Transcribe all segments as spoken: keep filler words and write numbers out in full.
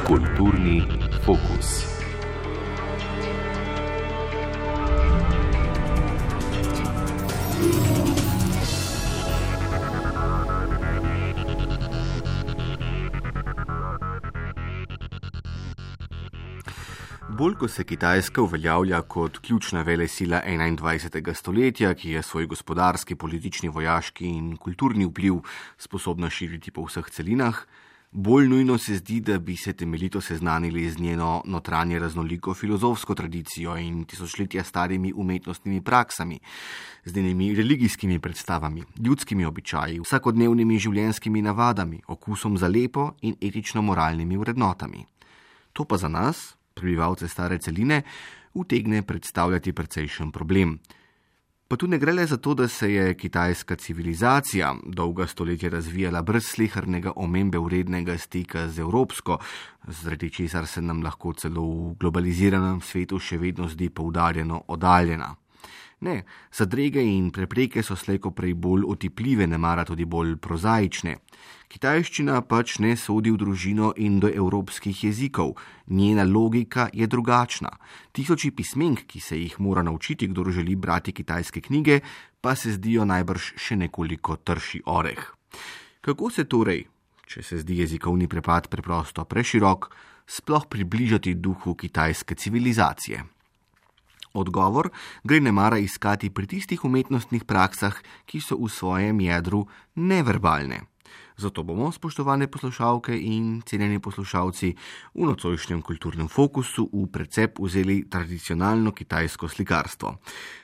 Kulturni fokus. Bolj ko se Kitajska uveljavlja kot ključna velesila enaindvajsetega stoletja, ki je svoj gospodarski, politični, vojaški in kulturni vpliv sposobna širiti po vseh celinah, bolj nujno se zdi, da bi se temeljito seznanili z njeno notranje raznoliko filozofsko tradicijo in tisočletja starimi umetnostnimi praksami, z njenimi religijskimi predstavami, ljudskimi običaji, vsakodnevnimi življenjskimi navadami, okusom za lepo in etično-moralnimi vrednotami. To pa za nas, prebivalce stare celine, utegne predstavljati precejšen problem. Pa tu ne gre le za to, da se je kitajska civilizacija dolga stoletja razvijala brez slehernega omembe vrednega stika z evropsko, zaradi česar se nam lahko celo v globaliziranem svetu še vedno zdi poudarjeno oddaljena. Ne, zadrege in prepreke so slejko prej bolj otipljive, nemara tudi bolj prozaične. Kitajščina pač ne sodi v družino indoevropskih jezikov, njena logika je drugačna. Tisoči pismenk, ki se jih mora naučiti, kdor želi brati kitajske knjige, pa se zdijo najbrž še nekoliko trši oreh. Kako se torej, če se zdi jezikovni prepad preprosto preširok, sploh približati duhu kitajske civilizacije? Odgovor gre nemara iskati pri tistih umetnostnih praksah, ki so v svojem jedru neverbalne. Zato bomo, spoštovane poslušalke in cenjeni poslušalci, v nocojšnjem kulturnem fokusu v precep vzeli tradicionalno kitajsko slikarstvo.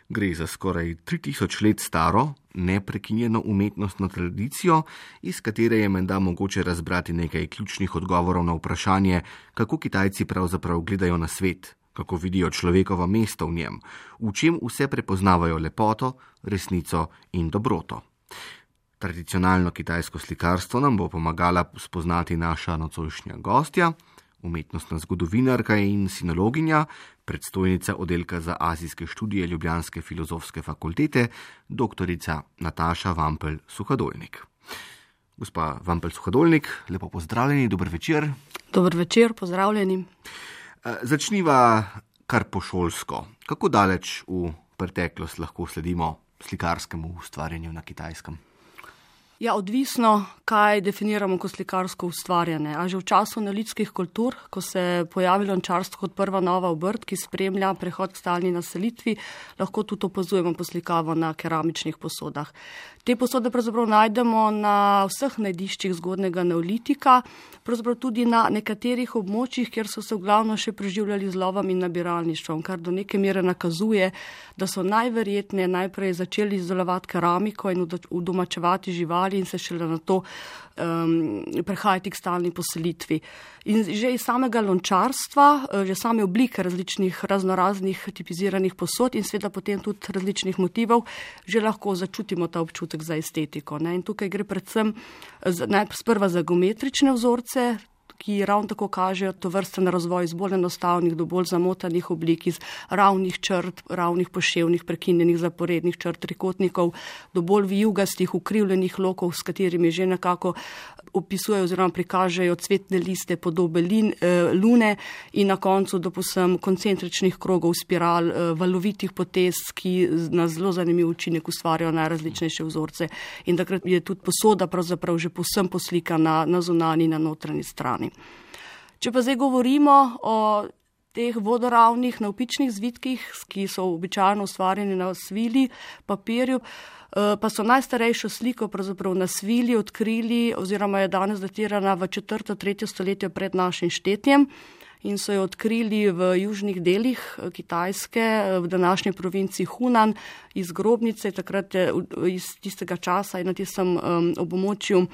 Gre za skoraj tri tisoč let staro, neprekinjeno umetnostno tradicijo, iz katere je menda mogoče razbrati nekaj ključnih odgovorov na vprašanje, kako Kitajci pravzaprav gledajo na svet, kako vidijo človekovo mesto v njem, v čem vse prepoznavajo lepoto, resnico in dobroto. Tradicionalno kitajsko slikarstvo nam bo pomagala spoznati naša nocojšnja gostja, umetnostna zgodovinarka in sinologinja, predstojnica oddelka za azijske študije Ljubljanske filozofske fakultete, doktorica Nataša Vampel-Suhadolnik. Gospa Vampel-Suhadolnik, lepo pozdravljeni, dober večer. Dober večer, pozdravljeni. Začniva kar pošolsko. Kako daleč v preteklost lahko sledimo slikarskemu ustvarjanju na Kitajskem? Ja, odvisno, kaj definiramo kot slikarsko ustvarjanje. A že v času neolitskih kultur, ko se je pojavilo lončarstvo kot prva nova obrt, ki spremlja prehod k stalni naselitvi, lahko tudi opazujemo poslikavo na keramičnih posodah. Te posode pravzaprav najdemo na vseh najdiščih zgodnega neolitika, pravzaprav tudi na nekaterih območjih, kjer so se v glavno še preživljali z lovom in nabiralništvom, kar do neke mere nakazuje, da so najverjetneje najprej začeli izdelovati keramiko in udomačevati živali in se šele na to um, prehajati k stalni poselitvi. In že iz samega lončarstva, že same oblike različnih raznoraznih tipiziranih posod in seveda potem tudi različnih motivov, že lahko začutimo ta občutek za estetiko. Ne? In tukaj gre predvsem sprva za geometrične vzorce, ki ravno tako kažejo to vrsten razvoj iz bolj enostavnih do bolj zamotanih oblik, iz ravnih črt, ravnih poševnih, prekinjenih zaporednih črt, trikotnikov, do bolj vijugastih, ukrivljenih lokov, s katerimi že nekako opisujejo oziroma prikažejo cvetne liste, podobe lin, eh, lune in na koncu do posem koncentričnih krogov, spiral, eh, valovitih potez, ki na zelo zanimiv učinek ustvarjajo najrazličnejše vzorce. In takrat je tudi posoda pravzaprav že povsem poslikana na zunanji, na notranji strani. Če pa zdaj govorimo o teh vodoravnih navpičnih zvitkih, ki so običajno ustvarjeni na svili, papirju, pa so najstarejšo sliko pravzaprav na svili odkrili oziroma je danes datirana v četrto, tretje stoletje pred našim štetjem in so jo odkrili v južnih delih Kitajske, v današnji provinci Hunan, iz grobnice. Takrat je iz tistega časa in na tistem um, območju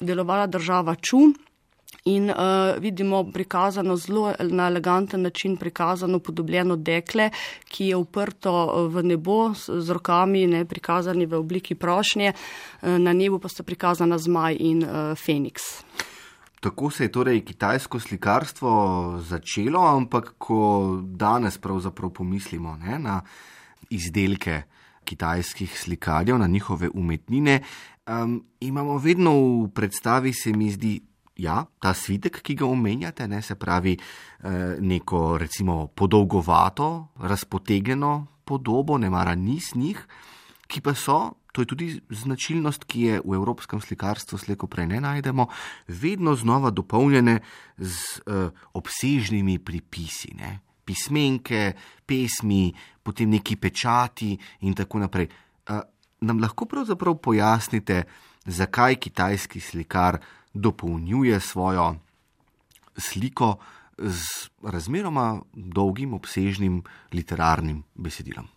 delovala država Ču. In uh, vidimo prikazano zelo na eleganten način prikazano podobljeno dekle, ki je uprto v nebo z, z rokami, ne, prikazani v obliki prošnje, na nebu pa sta prikazana zmaj in uh, feniks. Tako se je torej kitajsko slikarstvo začelo, ampak ko danes pravzaprav pomislimo, ne, na izdelke kitajskih slikarjev, na njihove umetnine, um, imamo vedno v predstavi, se mi zdi, ja, ta svitek, ki ga omenjate, ne, se pravi eh, neko recimo podolgovato, razpotegnjeno podobo, ne mara niz njih, ki pa so, to je tudi značilnost, ki je v evropskem slikarstvu slejko prej ne najdemo, vedno znova dopolnjene z uh, obsežnimi pripisi, ne? Pismenke, pesmi, potem neki pečati in tako naprej. Uh, nam lahko pravzaprav pojasnite, zakaj kitajski slikar dopolnjuje svojo sliko z razmeroma dolgim, obsežnim literarnim besedilom?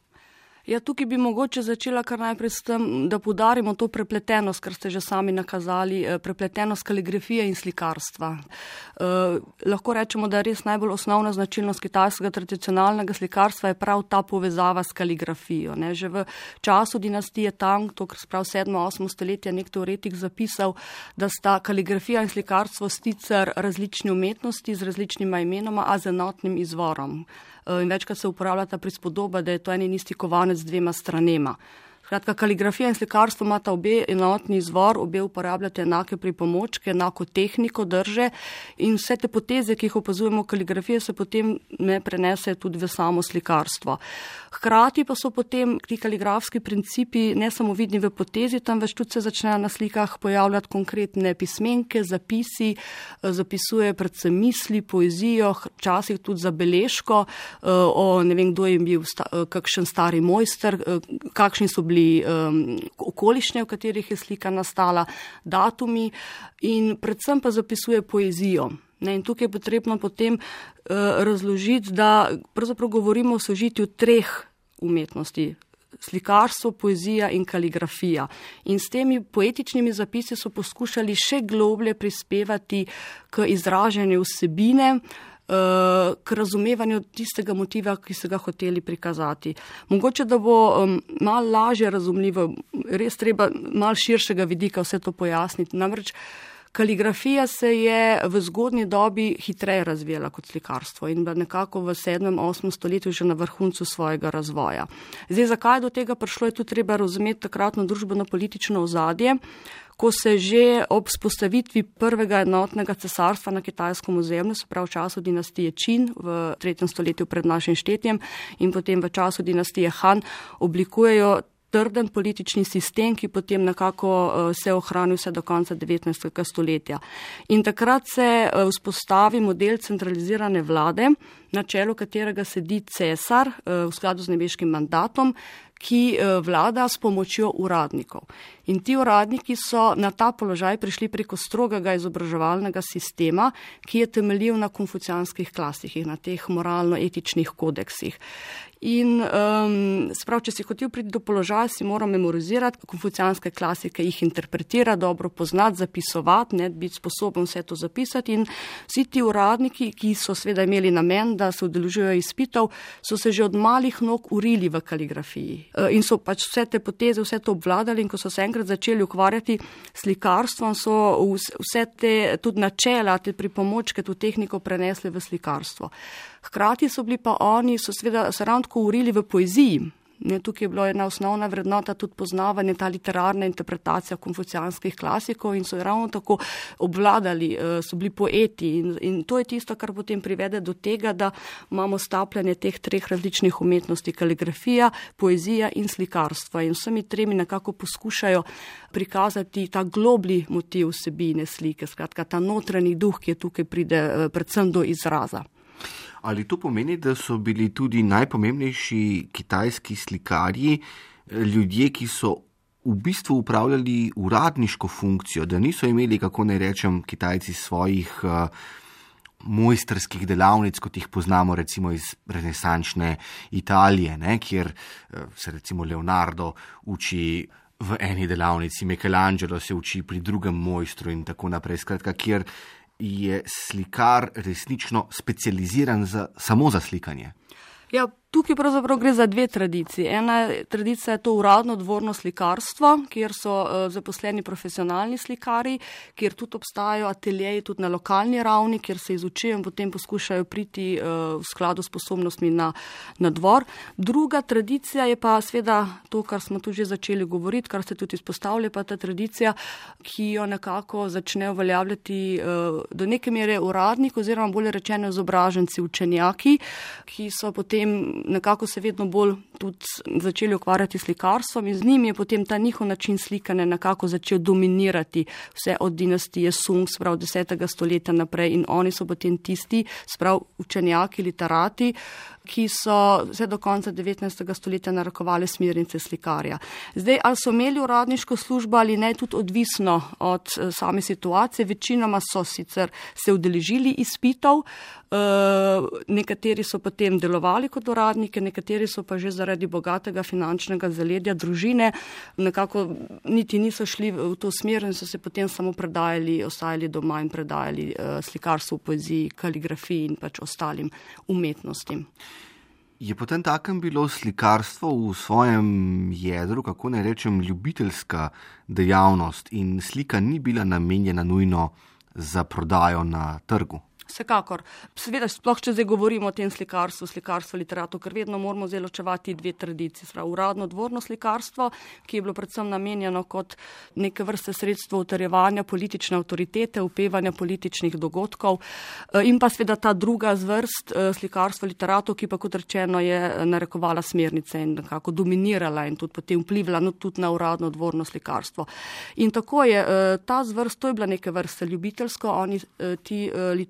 Ja, tukaj bi mogoče začela kar najprej s tem, da poudarimo to prepletenost, kar ste že sami nakazali, prepletenost kaligrafije in slikarstva. Eh, lahko rečemo, da je res najbolj osnovna značilnost kitajskega tradicionalnega slikarstva je prav ta povezava s kaligrafijo. Ne. Že v času dinastije Tang, to kar sprav sedmo osmo stoletje, nek teoretik zapisal, da sta kaligrafija in slikarstvo sicer različni umetnosti z različnima imenoma, a z enotnim izvorom. In večkrat se uporablja ta prispodoba, da je to en in isti kovanec z dvema stranema. Skratka, kaligrafija in slikarstvo imata obe enotni izvor, obe uporabljate enake pripomočke, enako tehniko drže in vse te poteze, ki jih opazujemo v kaligrafiji, se potem ne prenesejo tudi v samo slikarstvo. Hkrati pa so potem ti kaligrafski principi ne samo vidni v potezi, temveč tudi se začnejo na slikah pojavljati konkretne pismenke, zapisi, zapisuje predvsem misli, poezijo, včasih tudi zabeležko o ne vem, kdo je bil kakšen stari mojster, kakšni so bili Um, okoliščine, v katerih je slika nastala, datumi in predvsem pa zapisuje poezijo. Ne, in tukaj je potrebno potem uh, razložiti, da pravzaprav govorimo o sožitju treh umetnosti. Slikarstvo, poezija in kaligrafija. In s temi poetičnimi zapisi so poskušali še globlje prispevati k izražanju vsebine, k razumevanju tistega motiva, ki so ga hoteli prikazati. Mogoče, da bo um, malo lažje razumljivo, res treba malo širšega vidika vse to pojasniti. Namreč kaligrafija se je v zgodnji dobi hitreje razvijala kot slikarstvo in nekako v sedmem, osmem stoletju že na vrhuncu svojega razvoja. Zdaj, zakaj do tega prišlo, je tudi treba razumeti takratno družbeno-politično ozadje, ko se že ob spostavitvi prvega enotnega cesarstva na kitajskem ozemlju, se pravi v času dinastije Qin v tretjem stoletju pred našim štetjem in potem v času dinastije Han, oblikujejo trden politični sistem, ki potem nekako se ohrani vse do konca devetnajstega stoletja. In takrat se vzpostavi model centralizirane vlade, na čelu katerega sedi cesar v skladu z nebeškim mandatom, ki vlada s pomočjo uradnikov. In ti uradniki so na ta položaj prišli preko strogega izobraževalnega sistema, ki je temeljil na konfucijanskih klasikih, na teh moralno-etičnih kodeksih. In um, sprav, če si hotel priti do položaja, si moral memorizirati konfucijanske klasike, jih interpretirati, dobro poznati, zapisovati, ne, biti sposoben vse to zapisati. In vsi ti uradniki, ki so seveda imeli namen, da se udeležujejo izpitov, so se že od malih nog urili v kaligrafiji. In so pač vse te poteze, vse to obvladali in ko so se enkrat začeli ukvarjati s slikarstvom, so vse te tudi načela, te pripomočke, to tehniko prenesli v slikarstvo. Hkrati so bili pa oni, so seveda se ravno tako urili v poeziji. Ne, tukaj je bila ena osnovna vrednota tudi poznavanje, ta literarna interpretacija konfucijanskih klasikov in so ravno tako obvladali, so bili poeti in, in to je tisto, kar potem privede do tega, da imamo stapljanje teh treh različnih umetnosti, kaligrafija, poezija in slikarstvo in vsemi tremi nekako poskušajo prikazati ta globli motiv vsebine slike, skratka ta notranji duh, ki je tukaj pride predvsem do izraza. Ali to pomeni, da so bili tudi najpomembnejši kitajski slikarji ljudje, ki so v bistvu upravljali uradniško funkcijo, da niso imeli, kako naj rečem, Kitajci svojih uh, mojstrskih delavnic, kot jih poznamo recimo iz renesančne Italije, ne, kjer uh, se recimo Leonardo uči v eni delavnici, Michelangelo se uči pri drugem mojstru in tako naprej, skratka, kjer je slikar resnično specializiran za, samo za slikanje? Ja, Tukaj pravzaprav gre za dve tradiciji. Ena tradicija je to uradno dvorno slikarstvo, kjer so uh, zaposleni profesionalni slikari, kjer tudi obstajajo ateljeji tudi na lokalni ravni, kjer se izučijo in potem poskušajo priti uh, v skladu s sposobnostmi na, na dvor. Druga tradicija je pa seveda to, kar smo tu že začeli govoriti, kar ste tudi izpostavili, pa ta tradicija, ki jo nekako začne uveljavljati uh, do neke mere uradnik oziroma bolje rečeno izobraženci, učenjaki, ki so potem nekako se vedno bolj tudi začeli ukvarjati s slikarstvom in z njimi je potem ta njihov način slikanja nekako začel dominirati vse od dinastije Sung, sprav desetega stoletja naprej in oni so potem tisti, sprav učenjaki, literati, ki so vse do konca devetnajstega stoletja narekovali smernice slikarja. Zdaj, ali so imeli uradniško službo ali ne, tudi odvisno od uh, same situacije, večinoma so sicer se udeležili izpitov, uh, nekateri so potem delovali kot uradniki, nekateri so pa že zaradi bogatega finančnega zaledja družine nekako niti niso šli v to smer in so se potem samo predajali, ostajali doma in predajali uh, slikarstvu, poeziji, kaligrafiji in pač ostalim umetnostim. Je potem takem bilo slikarstvo v svojem jedru, kako ne rečem, ljubiteljska dejavnost in slika ni bila namenjena nujno za prodajo na trgu? Vsekakor. Seveda, sploh če zdaj govorimo o tem slikarstvu, slikarstvu literatu, ker vedno moramo zdaj ločevati dve tradiciji. Sprav, uradno dvorno slikarstvo, ki je bilo predvsem namenjeno kot neke vrste sredstvo utrjevanja politične avtoritete, upevanja političnih dogodkov in pa seveda ta druga zvrst slikarstvo literatu, ki pa kot rečeno je narekovala smernice in nekako dominirala in tudi potem vplivala no, tudi na uradno dvorno slikarstvo. In tako je ta zvrst, to je bila neke vrste ljubiteljsko, oni ti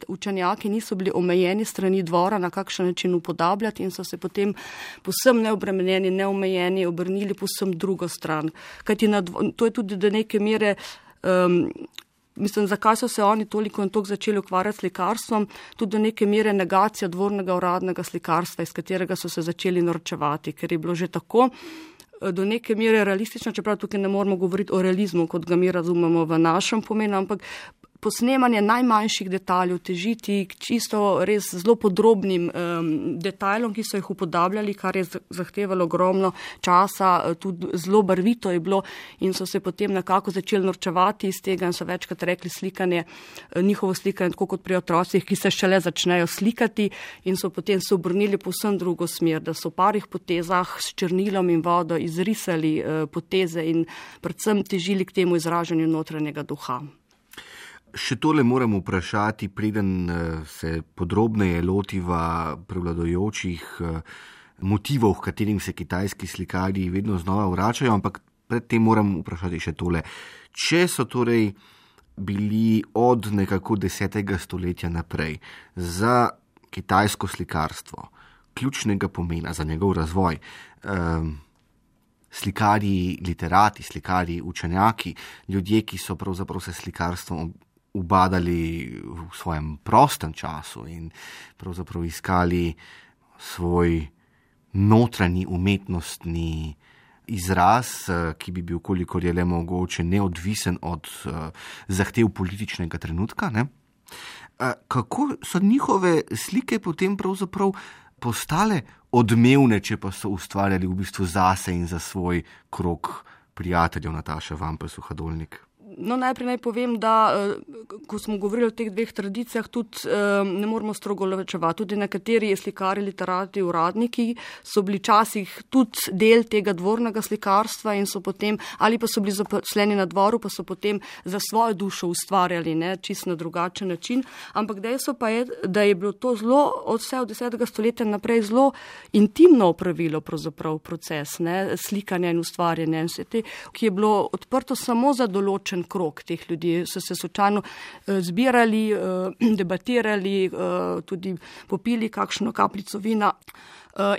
učenjaki Učenjaki niso bili omejeni strani dvora na kakšen način upodabljati in so se potem povsem neobremenjeni, neomejeni obrnili povsem drugo stran. Kajti na dvo, to je tudi do neke mere, um, mislim, zakaj so se oni toliko in toliko začeli ukvarjati s slikarstvom, tudi do neke mere negacija dvornega uradnega slikarstva, iz katerega so se začeli norčevati, ker je bilo že tako do neke mere realistično, čeprav tukaj ne moramo govoriti o realizmu, kot ga mi razumemo v našem pomenu, ampak posnemanje najmanjših detaljev, težiti k čisto res zelo podrobnim um, detajlom, ki so jih upodabljali, kar je zahtevalo ogromno časa, tudi zelo barvito je bilo in so se potem nekako začeli norčevati iz tega in so večkrat rekli slikanje, njihovo slikanje, tako kot pri otrocih, ki se šele začnejo slikati in so potem se obrnili povsem drugo smer, da so v parih potezah s črnilom in vodo izrisali uh, poteze in predvsem težili k temu izražanju notranjega duha. Še tole moram vprašati, preden se podrobneje lotiva prevladujočih motivov, v katerim se kitajski slikarji vedno znova vračajo, ampak predtem moram vprašati še tole. Če so torej bili od nekako desetega stoletja naprej za kitajsko slikarstvo ključnega pomena, za njegov razvoj, um, slikarji, literati, slikarji, učenjaki, ljudje, ki so pravzaprav se slikarstvom ubadali v svojem prostem času in pravzaprav iskali svoj notranji umetnostni izraz, ki bi bil, kolikor je le mogoče, neodvisen od uh, zahtev političnega trenutka. Ne? Uh, kako so njihove slike potem pravzaprav postale odmevne, če pa so ustvarjali v bistvu zase in za svoj krog prijateljev, Nataša Vampel, Suhadolnik? No, najprej naj povem, da ko smo govorili o teh dveh tradicijah, tudi ne moramo strogo ločevati. Tudi nekateri slikari, literati, uradniki so bili časih tudi del tega dvornega slikarstva in so potem, ali pa so bili zaposleni na dvoru, pa so potem za svojo dušo ustvarjali, ne, čisto na drugačen način. Ampak dejstvo pa je, da je bilo to zelo od vse od desetega stoletja naprej zelo intimno opravilo pravzaprav proces, ne, slikanja in ustvarjanja, in vse te, ki je bilo odprto samo za določen krog teh ljudi, so se slučajno zbirali, debatirali, tudi popili kakšno kapljico vina.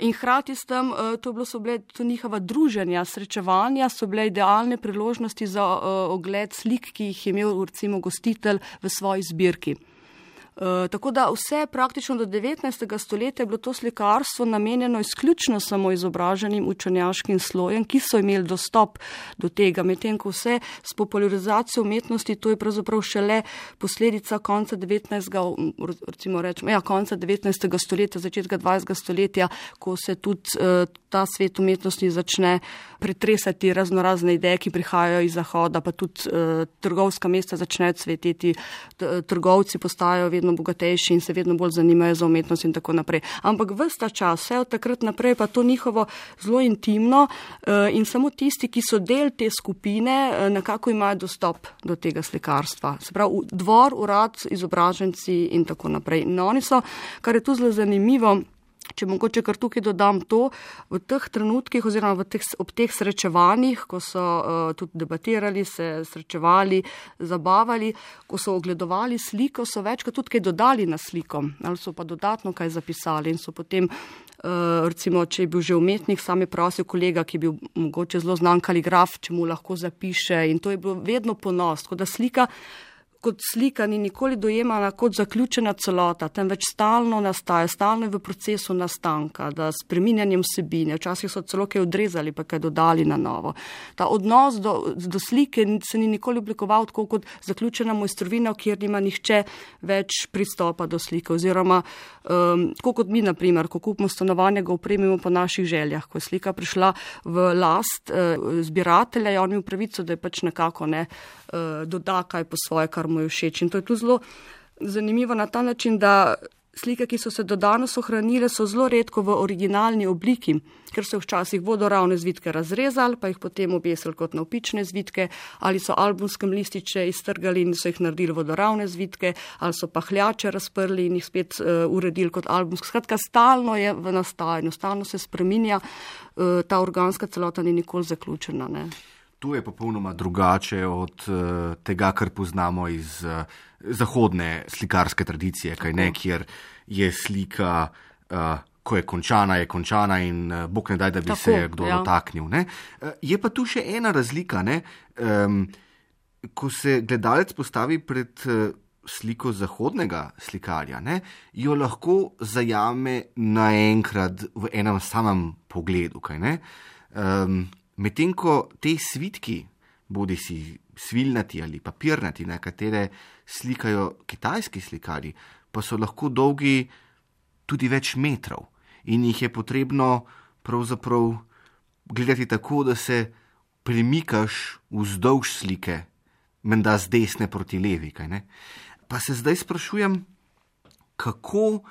In hkrati s tem, to, bilo, so bile to njihova druženja, srečevanja, so bile idealne priložnosti za ogled slik, ki jih je imel recimo gostitelj v svoji zbirki. Uh, tako da vse praktično do devetnajstega stoletja je bilo to slikarstvo namenjeno izključno samo izobraženim učenjaškim slojem, ki so imeli dostop do tega. Medtem ko vse s popularizacijo umetnosti, to je pravzaprav šele posledica konca devetnajstega, recimo rečemo, ja, konca devetnajstega stoletja, začetka dvajsetega stoletja, ko se tudi uh, ta svet umetnosti začne pretresati raznorazne ideje, ki prihajajo iz Zahoda, pa tudi uh, trgovska mesta začnejo cveteti, trgovci postajajo vedno bogatejši in se vedno bolj zanimajo za umetnost in tako naprej. Ampak ves ta čas, vse od takrat naprej, pa to njihovo zelo intimno uh, in samo tisti, ki so del te skupine, uh, nekako imajo dostop do tega slikarstva. Se pravi, dvor, urad, izobraženci in tako naprej. In oni so, kar je tu zelo zanimivo, če mogoče kar tukaj dodam to, v teh trenutkih oziroma v teh, ob teh srečevanjih, ko so uh, tudi debatirali, se srečevali, zabavali, ko so ogledovali sliko, so večkrat tudi kaj dodali na sliko, ali so pa dodatno kaj zapisali in so potem, uh, recimo, če je bil že umetnik, sam je prosil kolega, ki je bil mogoče zelo znan kaligraf, če mu lahko zapiše in to je bilo vedno ponos, tako da slika kot slika ni nikoli dojemana kot zaključena celota, temveč stalno nastaja, stalno je v procesu nastanka, da s spreminjanjem vsebine, včasih so celo kaj odrezali, pa kaj dodali na novo. Ta odnos do, do slike se ni nikoli oblikoval tako kot zaključena mojstrovina, kjer nima nihče več pristopa do slike, oziroma um, tako kot mi, na primer, ko kupimo stanovanje, ga opremimo po naših željah. Ko je slika prišla v last uh, zbiratelja, je on imel pravico, da je pač nekako ne uh, doda kaj po svoje, kar mu je všeč. In to je tu zelo zanimivo na ta način, da slike, ki so se do danes ohranile, so zelo redko v originalni obliki, ker so včasih vodoravne zvitke razrezali, pa jih potem obesili kot navpične zvitke, ali so albumskem lističe iztrgali in so jih naredili vodoravne zvitke, ali so pahljače razprli in jih spet uh, uredili kot albumske. Skratka, stalno je v nastajanju, stalno se spreminja, uh, ta organska celota ni nikoli zaključena, ne. To je popolnoma drugače od uh, tega, kar poznamo iz uh, zahodne slikarske tradicije, kaj ne, kjer je slika, uh, ko je končana, je končana in uh, bog ne daj, da bi Tako, se kdo ja. dotaknil. Ne? Uh, je pa tu še ena razlika, ne? Um, ko se gledalec postavi pred uh, sliko zahodnega slikarja, ne? Jo lahko zajame naenkrat v enem samem pogledu, kaj ne? Um, Medtem ko te svitki, bodi si svilnati ali papirnati, na katere slikajo kitajski slikarji, pa so lahko dolgi tudi več metrov in jih je potrebno pravzaprav gledati tako, da se premikaš vzdolž slike, menda z desne proti levi, kaj ne? Pa se zdaj sprašujem, kako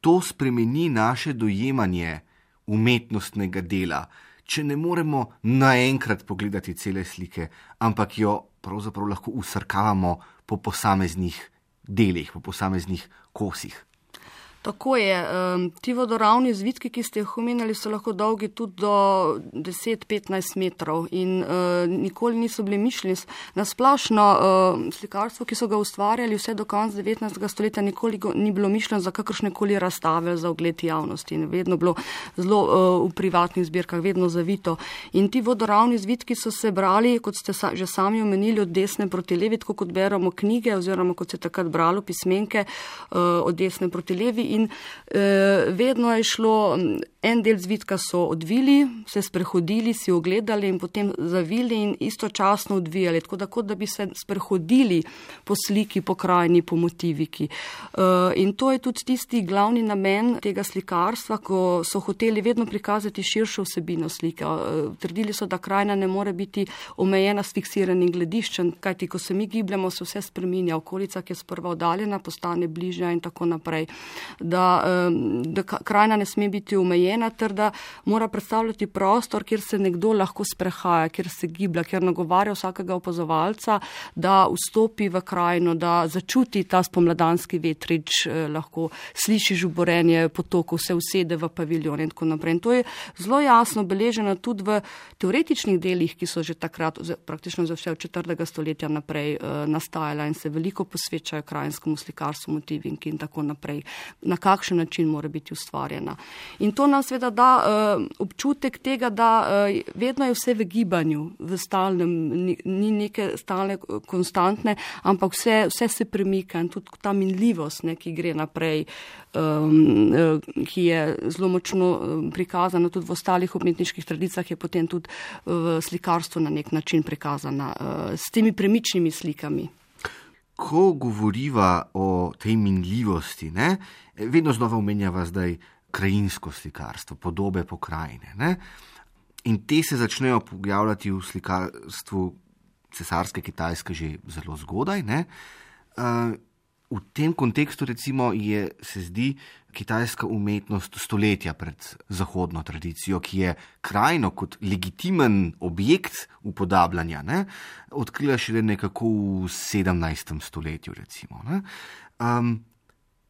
to spremeni naše dojemanje umetnostnega dela, če ne moremo naenkrat pogledati cele slike, ampak jo pravzaprav lahko usrkavamo po posameznih delih, po posameznih kosih. Tako je. Ti vodoravni zvitki, ki ste jih omenjali, so lahko dolgi tudi do deset do petnajst metrov in uh, nikoli niso bili mišljeni. Na splošno uh, slikarstvo, ki so ga ustvarjali vse do konca devetnajstega stoletja, nikoli ni bilo mišljeno za kakršnekoli razstave, za ogled javnosti. In vedno bilo zelo uh, v privatnih zbirkah, vedno zavito. In ti vodoravni zvitki so se brali, kot ste sa, že sami omenili, od desne proti levi, tako kot beremo knjige, oziroma kot se takrat bralo pismenke uh, od desne proti levi. In eh, vedno je šlo, en del zvitka so odvili, se sprehodili, si ogledali in potem zavili in istočasno odvijali, tako da, kot da bi se sprehodili po sliki, po krajini, po motiviki. Eh, in to je tudi tisti glavni namen tega slikarstva, ko so hoteli vedno prikazati širšo vsebino slike. Eh, trdili so, da krajina ne more biti omejena s fiksiranim glediščem, kajti ko se mi gibljamo, se vse spreminja, okolica, ki je sprva oddaljena, postane bližja in tako naprej. Da, da krajina ne sme biti omejena, ter da mora predstavljati prostor, kjer se nekdo lahko sprehaja, kjer se giblja, kjer nagovarja vsakega opazovalca, da vstopi v krajino, da začuti ta spomladanski vetrič, lahko sliši žuborenje potokov, se usede v paviljon in tako naprej. In to je zelo jasno beleženo tudi v teoretičnih delih, ki so že takrat, praktično za vse od četrtega stoletja naprej nastajala in se veliko posvečajo krajinskemu slikarstvu, motivinki in tako naprej. Na kakšen način mora biti ustvarjena. In to nas seveda da uh, občutek tega, da uh, vedno je vse v gibanju, v stalnem, ni, ni neke stalne konstantne, ampak vse, vse se premika in tudi ta minljivost, ne, ki gre naprej, um, uh, ki je zelo močno prikazana tudi v ostalih umetniških tradicijah, je potem tudi v slikarstvu na nek način prikazana uh, s temi premičnimi slikami. Ko govoriva o tej minljivosti, ne, vedno znova omenjava zdaj krajinsko slikarstvo, podobe pokrajine. Ne, in te se začnejo pojavljati v slikarstvu cesarske Kitajske že zelo zgodaj. Ne. Uh, v tem kontekstu recimo je, se zdi, kitajska umetnost stoletja pred zahodno tradicijo, ki je krajino kot legitimen objekt upodabljanja, ne, odkrila šele nekako v sedemnajstem stoletju. Recimo, ne. Um,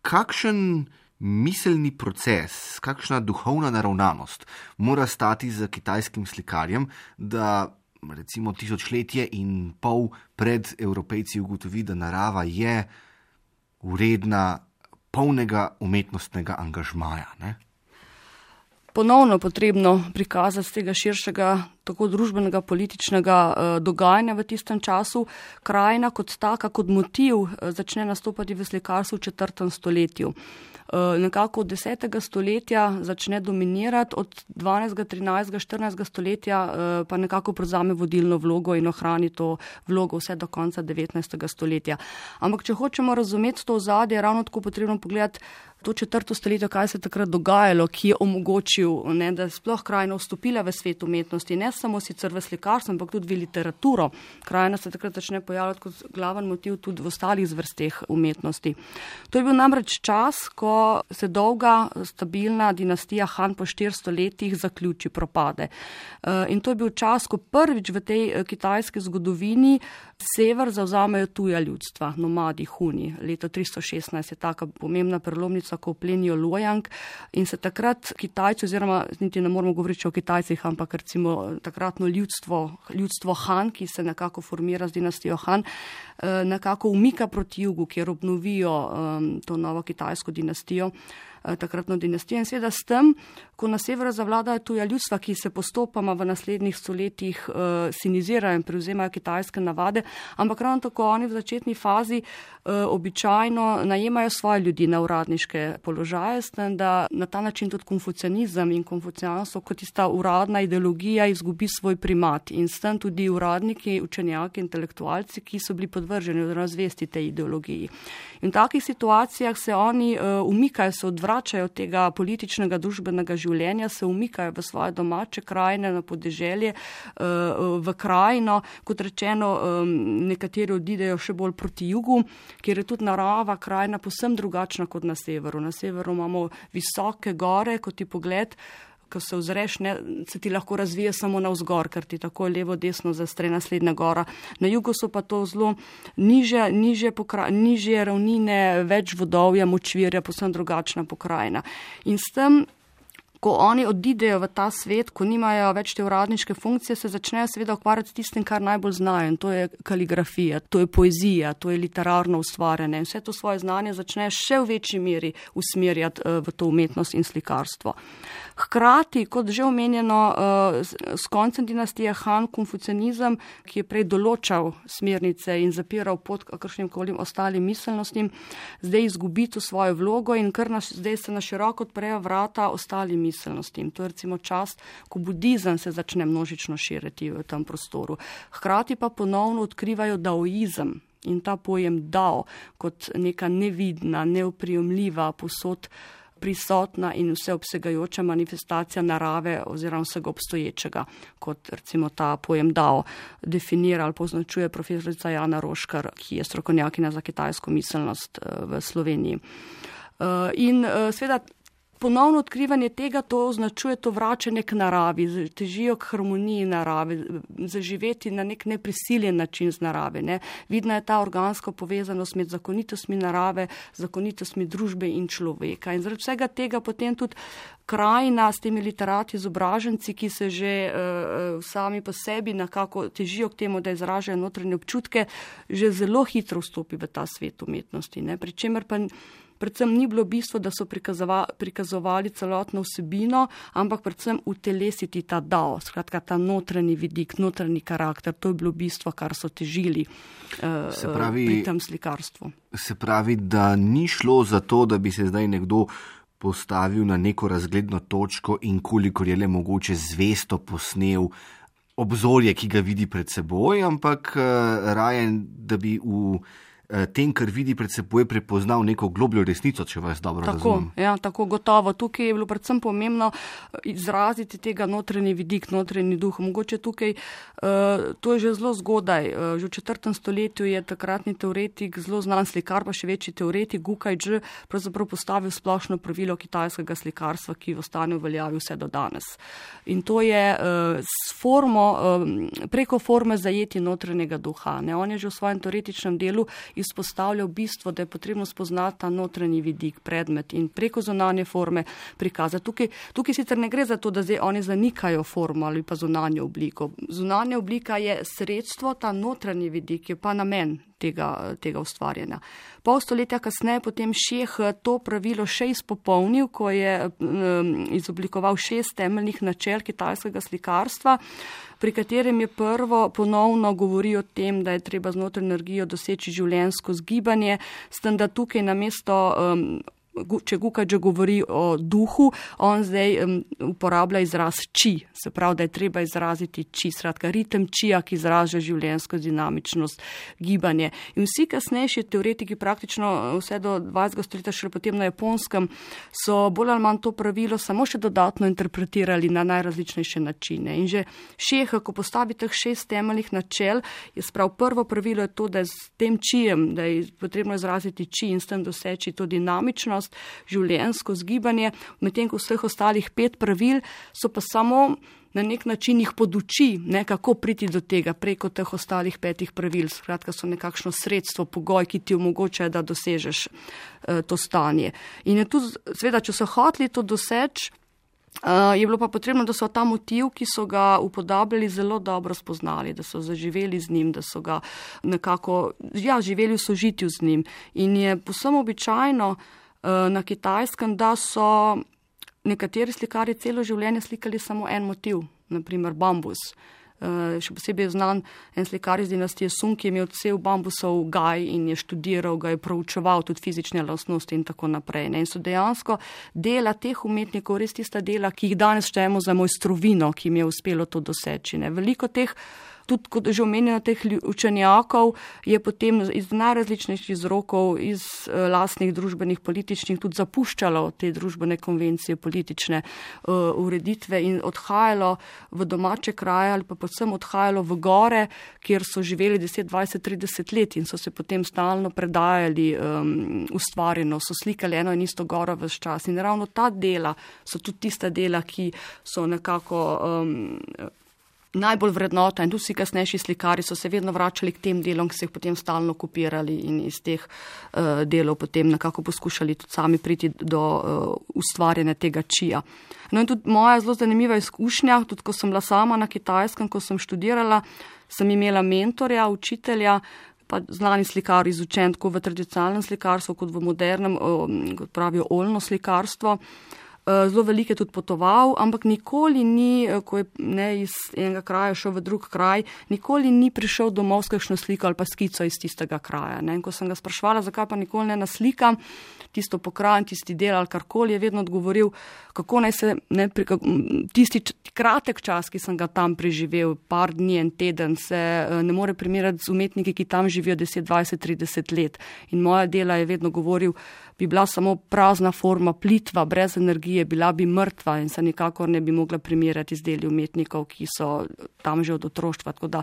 kakšen miselni proces, kakšna duhovna naravnanost mora stati za kitajskim slikarjem, da recimo tisočletje in pol pred Evropejci ugotovi, da narava je vredna polnega umetnostnega angažmaja, ne? Ponovno potrebno prikazati z tega širšega, tako družbenega, političnega eh, dogajanja v tistem času. Krajina kot taka, kot motiv eh, začne nastopati v slikarstvu v četrtem stoletju. Uh, nekako od desetega stoletja začne dominirati, od dvanajstega, trinajstega, štirinajstega stoletja uh, pa nekako prevzame vodilno vlogo in ohrani to vlogo vse do konca devetnajstega stoletja. Ampak če hočemo razumeti to ozadje, je ravno tako potrebno pogledati to četrto stoletje, kaj se je takrat dogajalo, ki je omogočil, ne, da je sploh krajina vstopila v svet umetnosti, ne samo sicer v slikarstvo, ampak tudi v literaturo. Krajina se takrat začne pojavljati kot glaven motiv tudi v ostalih zvrsteh umetnosti. To je bil namreč čas, ko se dolga, stabilna dinastija Han po štiristo letih zaključi, propade. In to je bil čas, ko prvič v tej kitajski zgodovini sever zavzamejo tuja ljudstva, nomadi, Huni. Leto tristo šestnajst je taka pomembna prelomnica, ko plenijo Luoyang in se takrat Kitajci, oziroma niti ne moramo govoriti o Kitajcih, ampak recimo takratno ljudstvo, ljudstvo Han, ki se nekako formira z dinastijo Han, nekako umika proti jugu, kjer obnovijo um, to novo kitajsko dinastijo, takratno dinastijo. In seveda s tem, ko na severu zavladajo tuja ljudstva, ki se postopoma v naslednjih stoletjih uh, sinizirajo in prevzemajo kitajske navade, ampak ravno tako oni v začetni fazi uh, običajno najemajo svoje ljudi na uradniške položaje, s tem, da na ta način tudi konfucianizem in konfucijanstvo kot tista uradna ideologija izgubi svoj primat in s tem tudi uradniki, učenjaki, intelektualci, ki so bili podvrženi oziroma zvesti tej ideologiji. In v takih situacijah se oni uh, umikajo, se odvračajo od tega političnega, družbenega življenja, se umikajo v svoje domače krajine, na podeželje, uh, v krajino, kot rečeno, um, nekateri odidejo še bolj proti jugu, kjer je tudi narava krajina povsem drugačna kot na severu. Na severu imamo visoke gore, kot ti pogled, ko se ozreš, ne, se ti lahko razvije samo navzgor, ker ti tako levo, desno zastre naslednja gora. Na jugu so pa to zelo niže, niže, pokra, niže ravnine, več vodovja, močvirja, povsem drugačna pokrajina. In s tem, ko oni odidejo v ta svet, ko nimajo več te uradniške funkcije, se začnejo seveda ukvarjati s tistim, kar najbolj znajo. In to je kaligrafija, to je poezija, to je literarno ustvarjanje. In vse to svoje znanje začnejo še v večji meri usmerjati v to umetnost in slikarstvo. Hkrati, kot že omenjeno, s koncem dinastije Han, konfucianizem, ki je prej določal smernice in zapiral pot kakršnim kolim ostalim miselnostim, zdaj izgubi to svojo vlogo in kar nas, zdaj se na široko odprejo vrata ostalim miselnostim. To je recimo čas, ko budizem se začne množično širiti v tem prostoru. Hkrati pa ponovno odkrivajo daoizem in ta pojem dao kot neka nevidna, neoprijemljiva, posod prisotna in vseobsegajoča manifestacija narave oziroma vsega obstoječega, kot recimo ta pojem dao definira ali poznačuje profesorica Jana Roškar, ki je strokovnjakinja za kitajsko miselnost v Sloveniji. In seveda ponovno odkrivanje tega, to označuje to vračanje k naravi, težijo k harmoniji narave, zaživeti na nek neprisiljen način z narave. Ne. Vidna je ta organska povezanost med zakonitostmi narave, zakonitostmi družbe in človeka. In zaradi vsega tega potem tudi krajina s temi literati, izobraženci, ki se že uh, sami po sebi nekako težijo k temu, da izražajo notranje občutke, že zelo hitro vstopi v ta svet umetnosti. Ne. Pričemer pa predvsem ni bilo bistvo, da so prikazovali celotno vsebino, ampak predvsem utelesiti ta dao, skratka ta notranji vidik, notranji karakter, to je bilo bistvo, kar so težili uh, se pravi, pri tem slikarstvu. Se pravi, da ni šlo za to, da bi se zdaj nekdo postavil na neko razgledno točko in kolikor je le mogoče zvesto posnel obzorje, ki ga vidi pred seboj, ampak uh, raje, da bi v tem, kar vidi pred seboj, prepoznal neko globljo resnico, če vas dobro tako, razumem. Ja, tako gotovo. Tukaj je bilo predvsem pomembno izraziti tega notranji vidik, notranji duh. Mogoče tukaj, uh, to je že zelo zgodaj. Uh, že v četrtem stoletju je takratni teoretik, zelo znan slikar, pa še večji teoretik, Gu Kai-zhi, pravzaprav postavil splošno pravilo kitajskega slikarstva, ki ostane v veljavi vse do danes. In to je uh, s formo, uh, preko forme zajeti notranjega duha. Ne? On je že v svojem teoretičnem delu izpostavljal bistvo, da je potrebno spoznati ta notranji vidik, predmet in preko zunanje forme prikazati. Tukaj, tukaj sicer ne gre za to, da zdaj oni zanikajo formo ali pa zunanjo obliko. Zunanja oblika je sredstvo, ta notranji vidik je pa namen tega, tega ustvarjanja. Pol stoletja kasneje potem Šeh to pravilo še izpopolnil, ko je um, izoblikoval šest temeljnih načel kitajskega slikarstva, pri katerem je prvo ponovno govori o tem, da je treba z notranjo energijo doseči življenjsko zgibanje, s tem, da tukaj namesto um, če Gu Kai-zhi govori o duhu, on zdaj um, uporablja izraz či, se pravi, da je treba izraziti či, skratka ritem čija, ki izraža življenjsko dinamičnost, gibanje. In vsi kasnejši teoretiki, praktično vse do dvajsetega stoletja, še potem na Japonskem, so bolj ali manj to pravilo samo še dodatno interpretirali na najrazličnejše načine. In že Šeh, ko postavi teh šest temeljnih načel, je sprav prvo pravilo je to, da je s tem čijem, da je potrebno izraziti či in s tem doseči to dinamičnost, življenjsko zgibanje, medtem ko vseh ostalih pet pravil so pa samo na nek način jih poduči, ne, kako priti do tega preko teh ostalih petih pravil. Skratka, so nekakšno sredstvo, pogoj, ki ti omogoča, da dosežeš uh, to stanje. In je tu, seveda, če so hoteli to doseči, Uh, je bilo pa potrebno, da so ta motiv, ki so ga upodabljali, zelo dobro spoznali, da so zaživeli z njim, da so ga nekako, ja, živeli v sožitju z njim. In je povsem običajno uh, na Kitajskem, da so nekateri slikarji celo življenje slikali samo en motiv, naprimer bambus. Uh, še posebej je znan en slikar iz dinastije Sung, ki je imel cel bambusov gaj in je študiral, ga je proučeval tudi fizične lastnosti in tako naprej. Ne? In so dejansko dela teh umetnikov res tista dela, ki jih danes štejemo za mojstrovino, ki jim je uspelo to doseči. Ne? Veliko teh, tudi kot že omenjeno, teh učenjakov je potem iz najrazličnejših vzrokov, iz uh, lastnih družbenih, političnih tudi zapuščalo te družbene konvencije, politične uh, ureditve in odhajalo v domače kraje ali pa predvsem odhajalo v gore, kjer so živeli deset, dvajset, trideset let in so se potem stalno predajali um, ustvarjeno, so slikali eno in isto goro ves čas. In ravno ta dela so tudi tista dela, ki so nekako um, najbolj vrednota in tudi vsi kasnejši slikari so se vedno vračali k tem delom, ki so jih potem stalno kopirali in iz teh uh, delov potem nekako poskušali tudi sami priti do uh, ustvarjanja tega čija. No in tudi moja zelo zanimiva izkušnja, tudi ko sem bila sama na Kitajskem, ko sem študirala, sem imela mentorja, učitelja, pa znani slikar izučen tako v tradicionalnem slikarstvu kot v modernem, kot pravijo, oljno slikarstvo. Zelo veliko je tudi potoval, ampak nikoli ni, ko je ne iz enega kraja šel v drug kraj, nikoli ni prišel domov s kakšno sliko ali pa skico iz tistega kraja. Ne. In ko sem ga sprašvala, zakaj pa nikoli ne naslikam tisto pokrajino, tisti del ali karkoli, je vedno odgovoril, kako naj se ne, tisti kratek čas, ki sem ga tam preživel, par dni, en teden, se ne more primerjati z umetniki, ki tam živijo deset, dvajset, trideset let. In moja dela je vedno govoril, bi bila samo prazna forma, plitva, brez energije, bila bi mrtva in se nikakor ne bi mogla primerjati z deli umetnikov, ki so tam že od otroštva. Tako da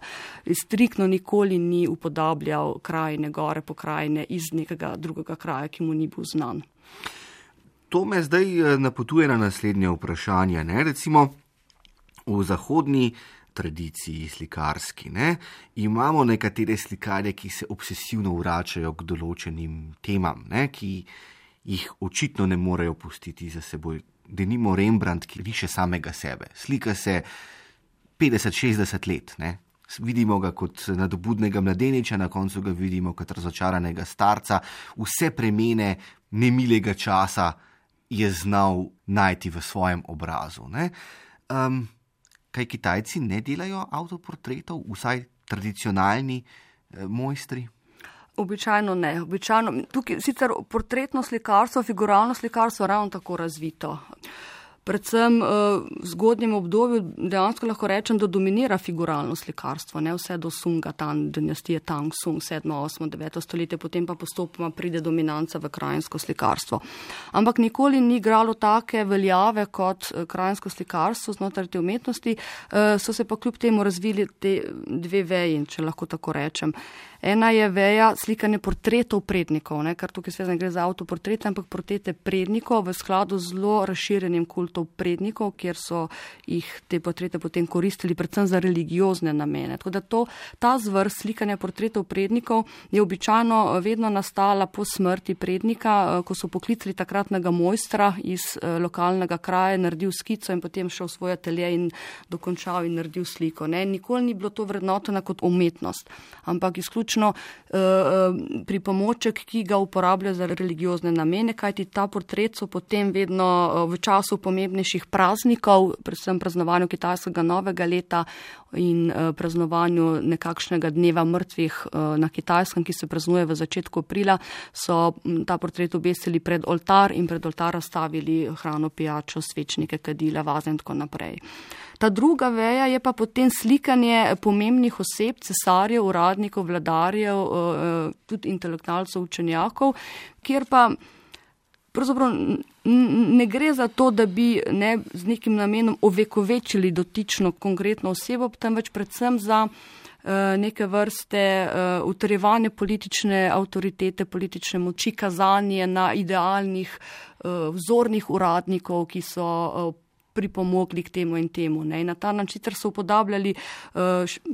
striktno nikoli ni upodabljal krajine, gore pokrajine iz nekega drugega kraja, ki mu ni bil znan. To me zdaj napotuje na naslednje vprašanje. Ne? Recimo v zahodni tradiciji slikarski, ne, imamo nekatere slikarje, ki se obsesivno vračajo k določenim temam, ne, ki jih očitno ne morejo pustiti za seboj. Denimo Rembrandt, ki riše samega sebe. Slika se petdeset, šestdeset let, ne. vidimo ga kot nadobudnega mladeniča, na koncu ga vidimo kot razočaranega starca. Vse premene nemilega časa je znal najti v svojem obrazu. Um, kaj Kitajci ne delajo avtoportretov, vsaj tradicionalni eh, mojstri? Običajno ne. Običajno, tukaj sicer portretno slikarstvo, figuralno slikarstvo ravno tako razvito. Predvsem v zgodnjem obdobju dejansko lahko rečem, da dominira figuralno slikarstvo, ne vse do Sunga, tam dinastije Tang Sung, sedmo, osmo, deveto stoletje, potem pa postopoma pride dominanca v krajinsko slikarstvo. Ampak nikoli ni igralo take veljave kot krajinsko slikarstvo znotraj te umetnosti, so se pa kljub temu razvili te dve veji, če lahko tako rečem. Ena je veja slikanje portretov prednikov, ne, kar tukaj seveda ne gre za avtoportrete, ampak portrete prednikov v skladu z zelo razširjenim kultov prednikov, kjer so jih te portrete potem koristili predvsem za religiozne namene. Tako da to, ta zvrst slikanja portretov prednikov je običajno vedno nastala po smrti prednika, ko so poklicali takratnega mojstra iz lokalnega kraja, naredil skico in potem šel v svoj atelje in dokončal in naredil sliko. Ne. Nikoli ni bilo to vrednoteno kot umetnost, ampak izključno pripomoček, ki ga uporablja za religiozne namene, kajti ta portret so potem vedno v času pomembnejših praznikov, predvsem praznovanju kitajskega novega leta in praznovanju nekakšnega dneva mrtvih na Kitajskem, ki se praznuje v začetku aprila, so ta portret obesili pred oltar in pred oltar stavili hrano, pijačo, svečnike, kadila, vaze in tako naprej. Ta druga veja je pa potem slikanje pomembnih oseb, cesarjev, uradnikov, vladarjev, tudi intelektualcev, učenjakov, kjer pa pravzaprav ne gre za to, da bi ne z nekim namenom ovekovečili dotično konkretno osebo, temveč predvsem za neke vrste utrjevanje politične avtoritete, politične moči, kazanje na idealnih vzornih uradnikov, ki so pripomogli k temu in temu. Ne. In na ta način sicer so upodabljali uh,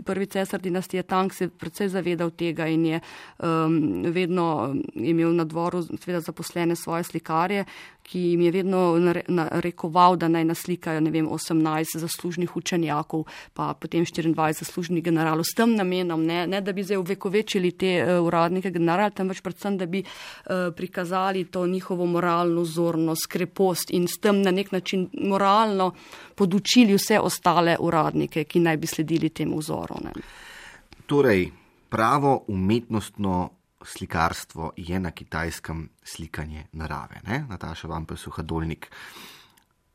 prvi cesar dinastije Tang, se precej zavedal tega in je um, vedno imel na dvoru seveda zaposlene svoje slikarje, ki jim je vedno narekoval, da naj naslikajo, ne vem, osemnajst zaslužnih učenjakov, pa potem štiriindvajset zaslužnih generalov s tem namenom, ne, ne da bi zdaj uvekovečili te uh, uradnike general, temveč predvsem, da bi uh, prikazali to njihovo moralno vzornost, krepost in s tem na nek način moralno podučili vse ostale uradnike, ki naj bi sledili temu vzoru. Ne. Torej, pravo umetnostno slikarstvo je na Kitajskem slikanje narave. Ne? Nataša Vampel-Suhadolnik.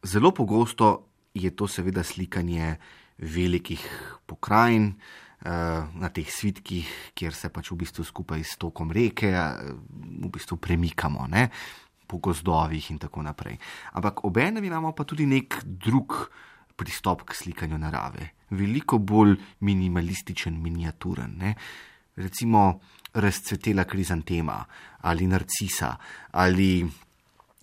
Zelo pogosto je to seveda slikanje velikih pokrajin, na teh svitkih, kjer se pač v bistvu skupaj s tokom reke v bistvu premikamo, ne? Po gozdovih in tako naprej. Ampak obenem imamo pa tudi nek drug pristop k slikanju narave. Veliko bolj minimalističen, miniaturen. Ne? Recimo razcvetela krizantema ali narcisa ali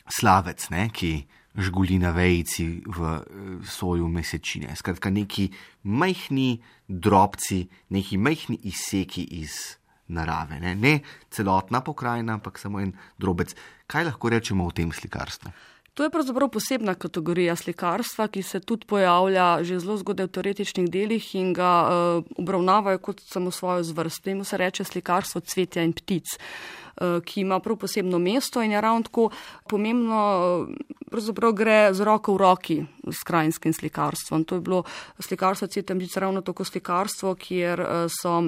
slavec, ne? Ki žguli na vejici v soju mesečine. Skratka, neki majhni drobci, neki majhni izseki iz narave. Ne? ne celotna pokrajina, ampak samo en drobec. Kaj lahko rečemo o tem slikarstvu? To je pravzaprav posebna kategorija slikarstva, ki se tudi pojavlja že zelo zgodaj v teoretičnih delih in ga uh, obravnavajo kot samo svojo zvrst. Temu se reče slikarstvo cvetja in ptic, uh, ki ima prav posebno mesto in je ravno tako pomembno, uh, pravzaprav gre z roko v roki s krajinskim slikarstvom. To je bilo slikarstvo cvetja in ptic ravno tako slikarstvo, kjer uh, so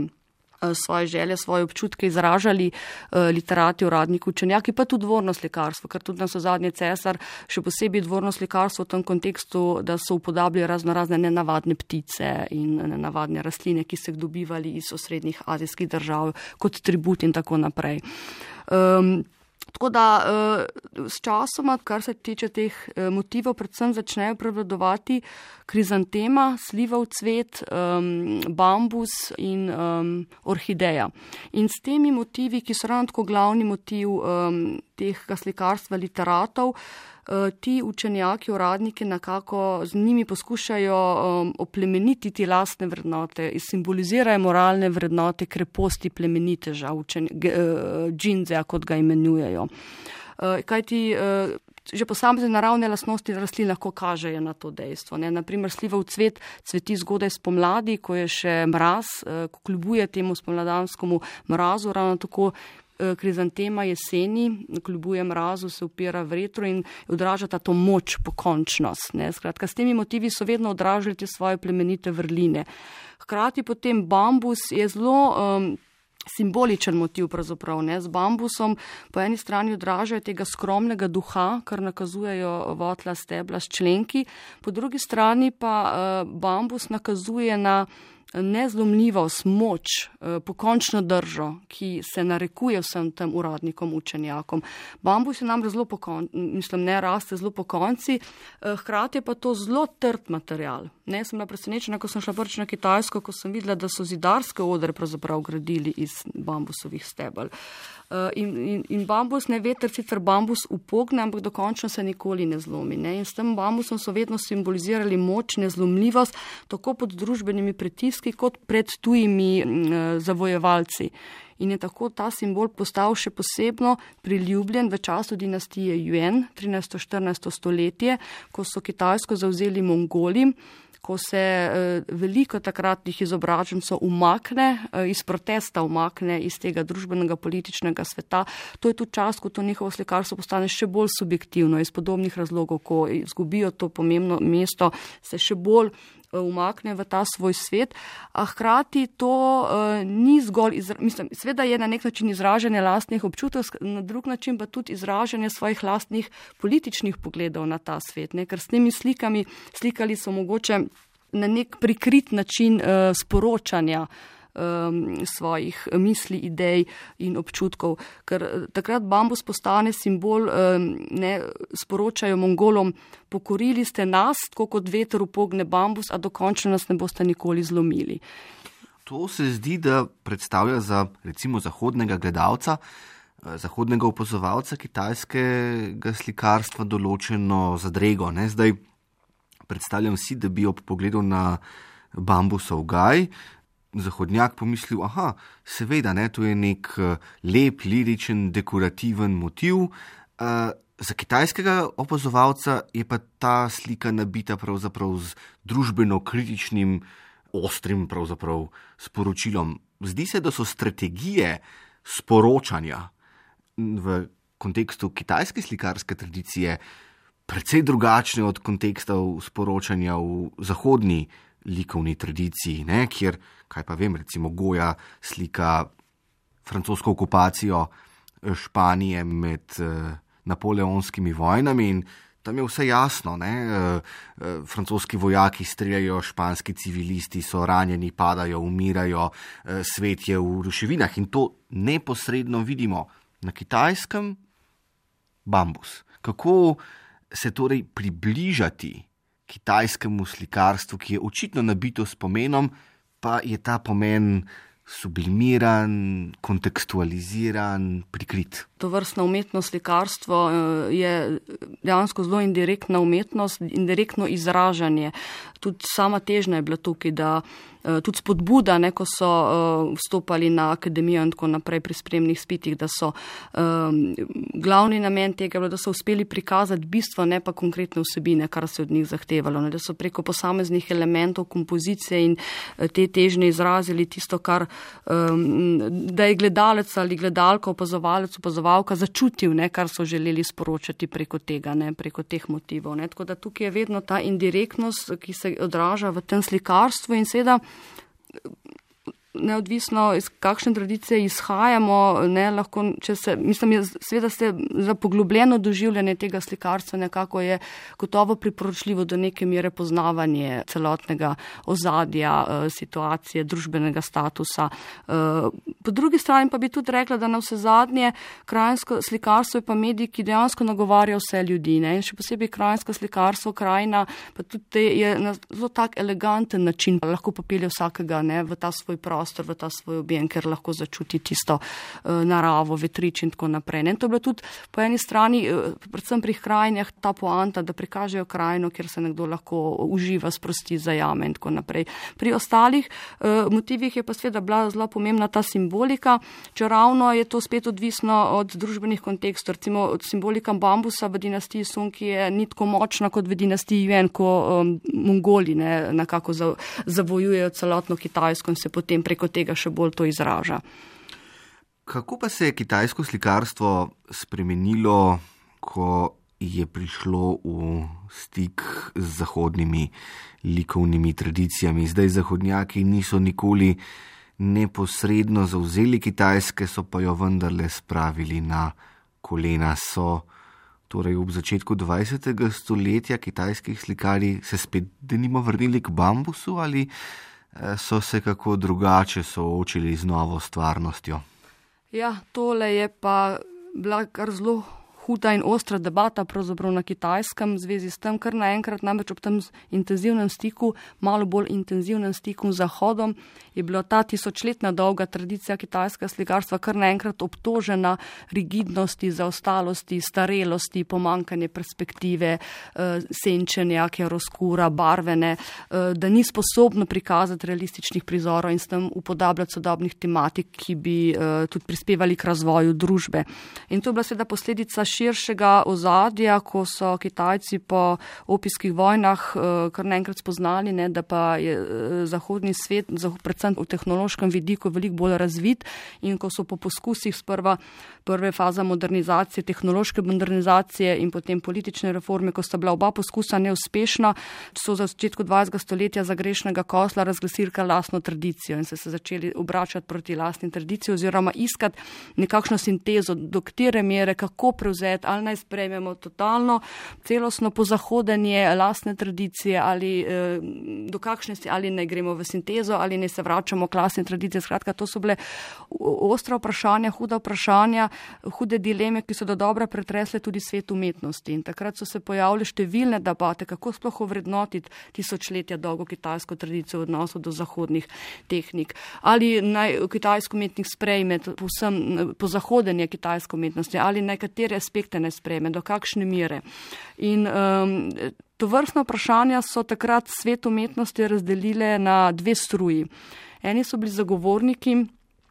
svoje želje, svoje občutke izražali uh, literati, uradniki, učenjaki, pa tudi dvorno slikarstvo, ker tudi nas v zadnje cesar, še posebej dvorno slikarstvo v tem kontekstu, da so upodabljali razno razne nenavadne ptice in nenavadne rastline, ki so jih dobivali iz osrednjih azijskih držav kot tribut in tako naprej. Um, Tako da s časoma, kar se tiče teh motivov, predvsem začnejo prevladovati krizantema, slivov cvet, um, bambus in um, orhideja. In s temi motivi, ki so ravno tako glavni motiv um, teh slikarstva literatov, ti učenjaki, uradniki nekako z njimi poskušajo um, oplemenititi lastne vrednote, simbolizirajo moralne vrednote, kreposti plemeniteža, učen, uh, džinzeja, kot ga imenujejo. Uh, kajti uh, že posamezne naravne lastnosti rastlin lahko kažejo na to dejstvo. Ne. Naprimer, slivov cvet cveti zgodaj spomladi, ko je še mraz, ko kljubuje temu spomladanskemu mrazu, ravno tako krizantema jeseni, kljubuje mrazu, se upira vetru in odražata to moč, pokončnost. Ne. Skratka, s temi motivi so vedno odražali te svoje plemenite vrline. Hkrati potem bambus je zelo um, simboličen motiv pravzaprav. Ne. Z bambusom po eni strani odražajo tega skromnega duha, kar nakazujejo votla stebla s členki, po drugi strani pa uh, bambus nakazuje na nezlomljivost, moč, pokončno držo, ki se narekuje vsem tem uradnikom, učenjakom. Bambus je nam zelo pokonci, mislim, ne raste zelo pokonci, hkrati je pa to zelo trd material. Ne, sem bila presenečena, ko sem šla prvič na Kitajsko, ko sem videla, da so zidarske odre pravzaprav gradili iz bambusovih stebel. In, in, in bambus, ne veter sicer bambus upogne, ampak dokončno se nikoli ne zlomi. Ne? In s tem bambusom so vedno simbolizirali moč, nezlomljivost, tako pod družbenimi pritiski, kot pred tujimi uh, zavojevalci. In je tako ta simbol postal še posebno priljubljen v času dinastije Yuan, trinajsto-štirinajsto stoletje, ko so Kitajsko zavzeli Mongoli, ko se eh, veliko takratnih izobražencev umakne, eh, iz protesta umakne iz tega družbenega političnega sveta. To je tudi čas, ko to njihovo slikarstvo postane še bolj subjektivno iz podobnih razlogov, ko izgubijo to pomembno mesto, se še bolj umakne v ta svoj svet, a hkrati to uh, ni zgolj, izra, mislim, sveda je na nek način izražanje lastnih občutev, na drug način pa tudi izražanje svojih lastnih političnih pogledov na ta svet, ne? Ker s temi slikami, slikali so mogoče na nek prikrit način uh, sporočanja um, svojih misli, idej in občutkov, ker takrat bambus postane simbol, um, ne, sporočajo Mongolom, pokorili ste nas, tako kot veter upogne bambus, a dokončno nas ne boste nikoli zlomili. To se zdi, da predstavlja za recimo zahodnega gledalca, zahodnega opazovalca kitajskega slikarstva določeno zadrego. Ne? Zdaj predstavljam si, da bi ob pogledu na bambusov gaj zahodnjak pomislil, aha, seveda, ne, to je nek lep, liričen, dekorativen motiv. Uh, za kitajskega opazovalca je pa ta slika nabita pravzaprav z družbeno kritičnim, ostrim pravzaprav sporočilom. Zdi se, da so strategije sporočanja v kontekstu kitajske slikarske tradicije precej drugačne od kontekstov sporočanja v zahodni likovni tradiciji, ne, kjer, kaj pa vem, recimo Goya slika francosko okupacijo Španije med eh, napoleonskimi vojnami in tam je vse jasno, ne, eh, francoski vojaki streljajo, španski civilisti so ranjeni, padajo, umirajo, eh, svet je v ruševinah in to neposredno vidimo. Na Kitajskem bambus. Kako se torej približati kitajskemu slikarstvu, ki je očitno nabito s pomenom, pa je ta pomen sublimiran, kontekstualiziran, prikrit. To vrstno umetno slikarstvo je dejansko zelo indirektna umetnost, indirektno izražanje. Tudi sama težnja je bila tukaj, da tudi spodbuda, ne, ko so uh, vstopali na akademijo in tako naprej pri spremnih spitih, da so um, glavni namen tega bilo, da so uspeli prikazati bistvo, ne pa konkretne vsebine, kar se od njih zahtevalo, ne, da so preko posameznih elementov kompozicije in uh, te težnje izrazili tisto, kar um, da je gledalec ali gledalka, opazovalec, opazovalka začutil, ne, kar so želeli sporočati preko tega, ne, preko teh motivov. Ne. Tako da tukaj je vedno ta indirektnost, ki se odraža v tem slikarstvu in seveda neodvisno iz kakšne tradicije izhajamo, ne, lahko, če se, mislim, je, seveda se za poglobljeno doživljanje tega slikarstva nekako je gotovo priporočljivo do neke mere poznavanje celotnega ozadja, situacije, družbenega statusa. Po drugi strani pa bi tudi rekla, da na vse zadnje krajinsko slikarstvo je pa medij, ki dejansko nagovarja vse ljudi, ne, in še posebej krajinsko slikarstvo, krajina, pa tudi je na zelo tak eleganten način, lahko popelje vsakega, ne, v ta svoj prostor, v ta svoj objem, ker lahko začuti tisto uh, naravo, vetrič in tako naprej. Ne? In to je bilo tudi po eni strani, uh, predvsem pri krajinah, ta poanta, da prikažejo krajino, kjer se nekdo lahko uživa, sprosti, zajame in tako naprej. Pri ostalih uh, motivih je pa seveda bila zelo pomembna ta simbol simbolika, čeravno je to spet odvisno od družbenih kontekstov. Recimo od simbolika bambusa v dinastiji Song je ni tako močna kot v dinastiji Yuan, ko um, Mongoli ne, nekako zavojujejo celotno Kitajsko in se potem preko tega še bolj to izraža. Kako pa se je kitajsko slikarstvo spremenilo, ko je prišlo v stik z zahodnimi likovnimi tradicijami? Zdaj zahodnjaki niso nikoli neposredno zavzeli Kitajske, so pa jo vendarle spravili na kolena. So torej ob začetku dvajsetega stoletja kitajskih slikarji se spet denimo vrnili k bambusu ali so se kako drugače soočili z novo stvarnostjo? Ja, tole je pa bila kar zelo huda in ostra debata pravzaprav na Kitajskem v zvezi s tem, kar naenkrat namreč ob tem intenzivnem stiku, malo bolj intenzivnem stiku z Zahodom, je bila ta tisočletna dolga tradicija kitajskega slikarstva kar naenkrat obtožena rigidnosti, zaostalosti, starelosti, pomankanje perspektive, senčenja, chiaroscura, barvene, da ni sposobno prikazati realističnih prizorov in s tem upodabljati sodobnih tematik, ki bi tudi prispevali k razvoju družbe. In to je bila seveda posledica širšega ozadja, ko so Kitajci po opijskih vojnah kar naenkrat spoznali, ne, da pa je zahodni svet, predvsem v tehnološkem vidiku, veliko bolj razvit in ko so po poskusih sprva prve faza modernizacije, tehnološke modernizacije in potem politične reforme, ko sta bila oba poskusa neuspešna, so za začetku dvajsetega stoletja za grešnega kosla razglasili lastno tradicijo in so se začeli obračati proti lastni tradiciji oziroma iskati nekakšno sintezo, do katere mere, kako prevzeti, ali naj sprejmemo totalno, celostno pozahodanje lastne tradicije ali eh, do kakšne si, ali naj gremo v sintezo, ali naj se vračamo k lastni tradiciji. Skratka, to so bile ostra vprašanja, huda vprašanja, hude dileme, ki so do dobra pretresle tudi svet umetnosti. In takrat so se pojavile številne debate, kako sploh ovrednotiti tisočletja dolgo kitajsko tradicijo v odnosu do zahodnih tehnik. Ali naj kitajsko umetnik sprejme povsem pozahodenje kitajsko umetnosti, ali naj katere aspekte ne sprejme, do kakšne mere. In um, to vrstno vprašanja so takrat svet umetnosti razdelile na dve struji. Eni so bili zagovorniki,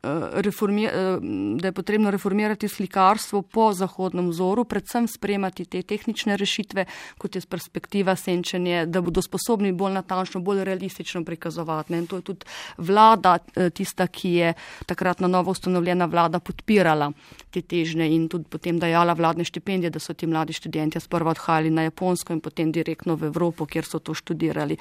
da je potrebno reformirati slikarstvo po zahodnem vzoru, predvsem sprejemati te tehnične rešitve, kot je perspektiva, senčenje, da bodo sposobni bolj natančno, bolj realistično prikazovati. In to je tudi vlada, tista, ki je takrat na novo ustanovljena vlada podpirala te težnje in tudi potem dajala vladne štipendije, da so ti mladi študentje sprva odhajali na Japonsko in potem direktno v Evropo, kjer so to študirali.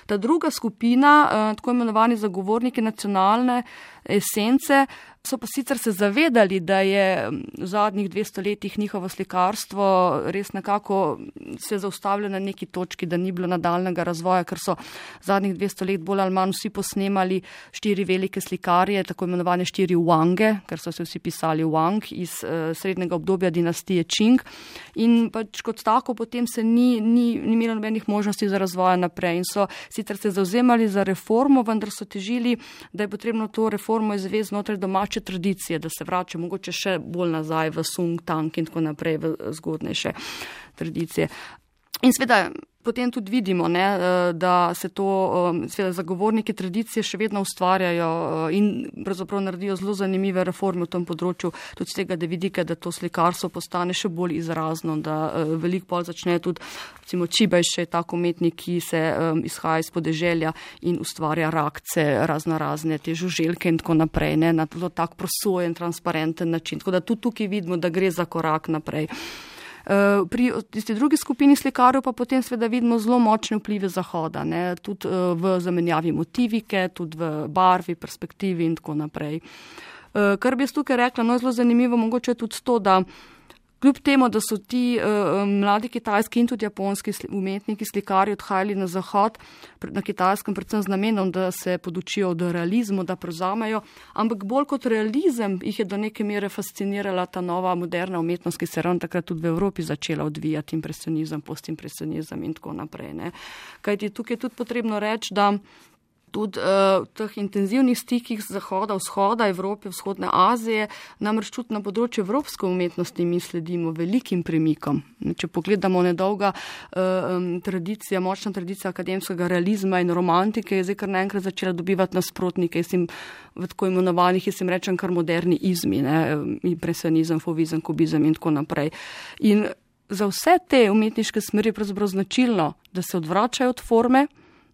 Ta druga skupina, tako imenovani zagovorniki nacionalne esence, so pa sicer se zavedali, da je v zadnjih dvesto letih njihovo slikarstvo res nekako se zaustavilo na neki točki, da ni bilo nadaljnega razvoja, ker so zadnjih dvesto let bolj ali manj vsi posnemali štiri velike slikarje, tako imenovane štiri Wange, ker so se vsi pisali Wang iz uh, srednjega obdobja dinastije Qing. In pač kot tako potem se ni, ni, ni imelo nobenih možnosti za razvoja naprej. In so sicer se zauzemali za reformo, vendar so težili, da je potrebno to reformo izvesti znotraj domače tradicije, da se vrača mogoče še bolj nazaj v Sung, Tang in tako naprej v zgodnejše tradicije. In seveda potem tudi vidimo, ne, da se to seveda zagovorniki tradicije še vedno ustvarjajo in pravzaprav naredijo zelo zanimive reforme v tem področju, tudi z tega, da vidike, da to slikarstvo postane še bolj izrazno, da veliko bolj začne tudi, recimo Čibaj še je tak umetnik, ki se izhaja iz podeželja in ustvarja rakce, razno razne te žuželke in tako naprej, ne, na zelo tak prosojen, transparenten način. Tako da tudi tukaj vidimo, da gre za korak naprej. Pri tisti drugi skupini slikarjev pa potem seveda vidimo zelo močne vplive Zahoda, ne, tudi v zamenjavi motivike, tudi v barvi, perspektivi in tako naprej. Kar bi jaz tukaj rekla, no je zelo zanimivo, mogoče je tudi to, da kljub temu, da so ti uh, mladi kitajski in tudi japonski umetniki, slikarji odhajali na Zahod, na Kitajskem predvsem z namenom, da se podučijo od realizmu, da prevzamejo, ampak bolj kot realizem jih je do neke mere fascinirala ta nova moderna umetnost, ki se ravno takrat tudi v Evropi začela odvijati, impresionizem, postimpresionizem in tako naprej. Ne. Kajti tukaj je tudi potrebno reči, da tudi uh, v teh intenzivnih stikih z zahoda, vzhoda, Evrope, vzhodne Azije, namreč tudi na področju evropske umetnosti mi sledimo velikim premikom. Če pogledamo nedolga uh, tradicija, močna tradicija akademskega realizma in romantike je zdaj kar naenkrat začela dobivati nasprotnike, jaz jim v tako imenovanih, jaz jim rečem kar moderni izmi, ne, impresionizem, fovizem, kubizem in tako naprej. In za vse te umetniške smeri je pravzaprav značilno, da se odvračajo od forme,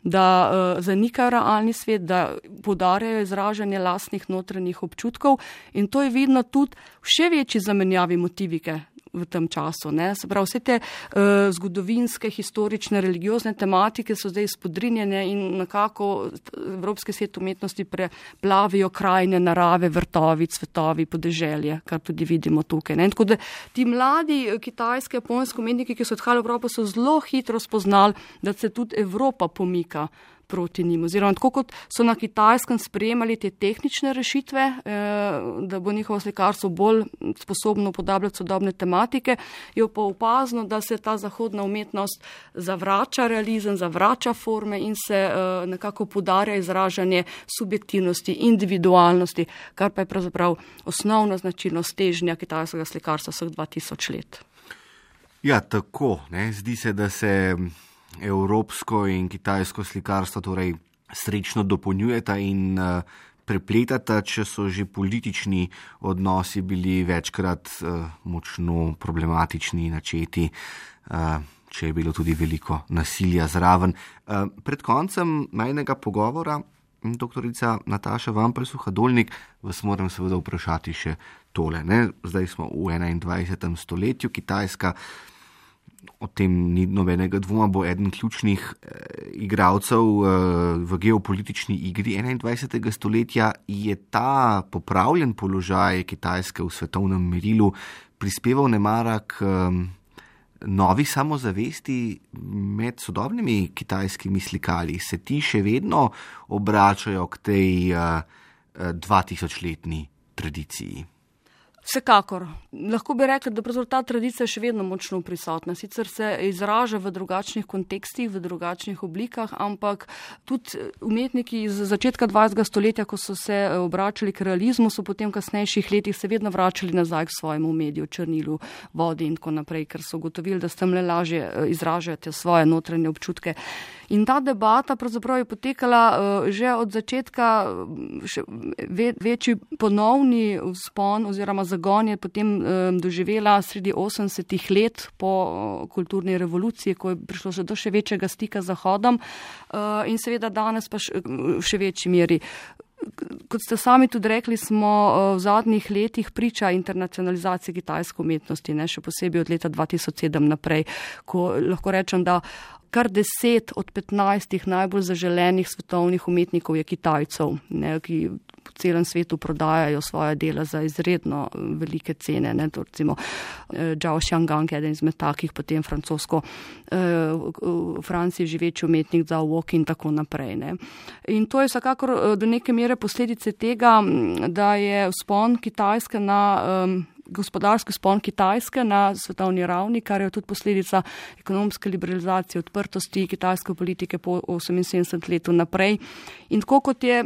da uh, zanikajo realni svet, da poudarjajo izražanje lastnih notranjih občutkov in to je vidno tudi v še večji zamenjavi motivike v tem času. Ne? Se pravi, vse te uh, zgodovinske, historične, religiozne tematike so zdaj spodrinjene in nekako evropski svet umetnosti preplavijo krajine, narave, vrtovi, cvetovi, podeželje, kar tudi vidimo tukaj. Ne? Tako da ti mladi kitajski, japonski umetniki, ki so odhajali v Evropo, so zelo hitro spoznali, da se tudi Evropa pomika proti njim. Oziroma, tako kot so na Kitajskem sprejemali te tehnične rešitve, eh, da bo njihovo slikarstvo bolj sposobno upodabljati sodobne tematike, je pa opazno, da se ta zahodna umetnost zavrača realizem, zavrača forme in se eh, nekako poudarja izražanje subjektivnosti, individualnosti, kar pa je pravzaprav osnovna značilnost težnja kitajskega slikarstva vseh dva tisoč let. Ja, tako. Ne? Zdi se, da se evropsko in kitajsko slikarstvo torej srečno dopolnjujeta in uh, prepletata, če so že politični odnosi bili večkrat uh, močno problematični, načeti, uh, če je bilo tudi veliko nasilja zraven. Uh, pred koncem majnega pogovora, doktorica Nataša Vampel-Suhadolnik, vas moram seveda vprašati še tole. Ne? Zdaj smo v enaindvajsetem stoletju, Kitajska, o tem ni nobenega dvoma, bo eden ključnih eh, igralcev eh, v geopolitični igri enaindvajsetega stoletja. Je ta popravljen položaj Kitajske v svetovnem merilu prispeval nemara k eh, novi samozavesti med sodobnimi kitajskimi slikarji? Se ti še vedno obračajo k tej eh, dvatisočletni tradiciji? Vsekakor. Lahko bi rekli, da pravzaprav ta tradicija je še vedno močno prisotna. Sicer se izraža v drugačnih kontekstih, v drugačnih oblikah, ampak tudi umetniki iz začetka dvajsetega stoletja, ko so se obračali k realizmu, so potem v kasnejših letih se vedno vračali nazaj k svojemu mediju, črnilu, vodi in tako naprej, ker so ugotovili, da s tem le lažje izražajo svoje notranje občutke. In ta debata pravzaprav je potekala uh, že od začetka, še ve, večji ponovni vzpon oziroma zagon je potem um, doživela sredi osemdesetih let po uh, kulturni revoluciji, ko je prišlo še do še večjega stika z Zahodom uh, in seveda danes pa še, v še večji meri. Kot ste sami tudi rekli, smo v zadnjih letih priča internacionalizaciji kitajske umetnosti, ne, še posebej od leta dva tisoč sedem naprej, ko lahko rečem, da kar deset od petnajstih najbolj zaželenih svetovnih umetnikov je Kitajcev, ne, ki po celem svetu prodajajo svoje dela za izredno velike cene. Ne, to recimo Zhao Xianggang, eden izmed takih, potem francosko, v Franciji živeči umetnik Zhao Wok in tako naprej. Ne. In to je vsekakor do neke mere posledice tega, da je vzpon Kitajske na um, gospodarski vzpon Kitajske na svetovni ravni, kar je tudi posledica ekonomske liberalizacije, odprtosti kitajske politike po oseminsedemdesetem letu naprej. In tako kot je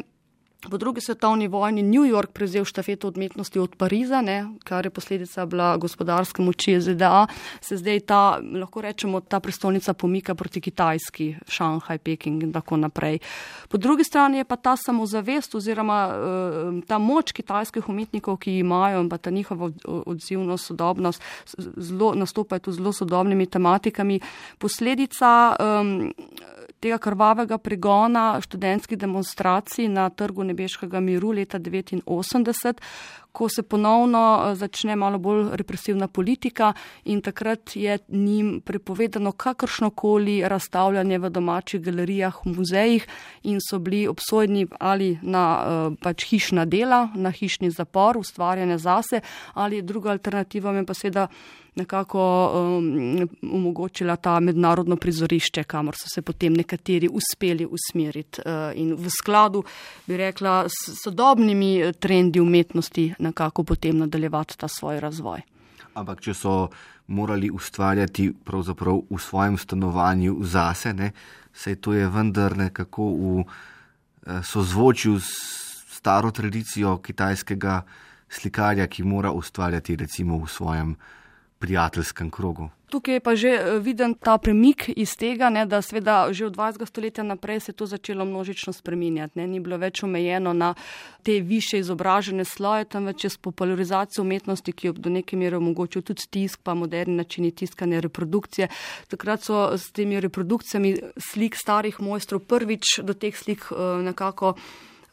po drugi svetovni vojni New York prevzel štafeto umetnosti od Pariza, ne, kar je posledica bila gospodarske moči Z D A, se zdaj ta, lahko rečemo, ta prestolnica pomika proti Kitajski, Šanghaj, Peking in tako naprej. Po drugi strani je pa ta samozavest oziroma uh, ta moč kitajskih umetnikov, ki imajo in pa ta njihova odzivnost, sodobnost, zelo, nastopajo tu zelo sodobnimi tematikami, posledica um, tega krvavega pregona študentskih demonstracij na Trgu nebeškega miru leta devetinosemdeset, ko se ponovno začne malo bolj represivna politika in takrat je njim prepovedano kakršnokoli razstavljanje v domačih galerijah, v muzejih in so bili obsojeni ali na pač hišna dela, na hišni zapor, ustvarjanje zase, ali druga alternativa je pa seveda nekako um, omogočila ta mednarodno prizorišče, kamor so se potem nekateri uspeli usmeriti uh, in v skladu, bi rekla, s sodobnimi trendi umetnosti nekako potem nadaljevati ta svoj razvoj. Ampak če so morali ustvarjati pravzaprav v svojem stanovanju zase, ne, saj to je vendar nekako v sozvočil s staro tradicijo kitajskega slikarja, ki mora ustvarjati recimo v svojem prijateljskem krogu. Tukaj je pa že viden ta premik iz tega, ne, da seveda že od dvajsetega stoletja naprej se je to začelo množično spreminjati. Ne. Ni bilo več omejeno na te više izobražene sloje, temveč je s popularizacijo umetnosti, ki je do neke mere omogočil tudi tisk, pa moderni načini tiskanja, reprodukcije. Takrat so s temi reprodukcijami slik starih mojstrov prvič do teh slik nekako